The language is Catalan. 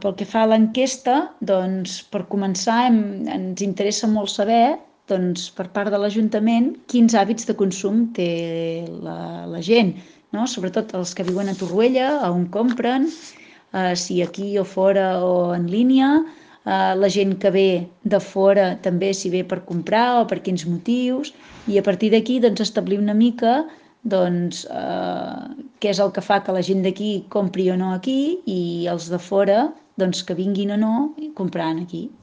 Pel que fa a l'enquesta, doncs, per començar, ens interessa molt saber, doncs, per part de l'Ajuntament, quins hàbits de consum té la gent, no? Sobretot els que viuen a Torroella, on compren, si aquí o fora o en línia, la gent que ve de fora també si ve per comprar o per quins motius, i a partir d'aquí doncs, establir una mica doncs, què és el que fa que la gent d'aquí compri o no aquí i els de fora doncs, que vinguin o no compraran aquí.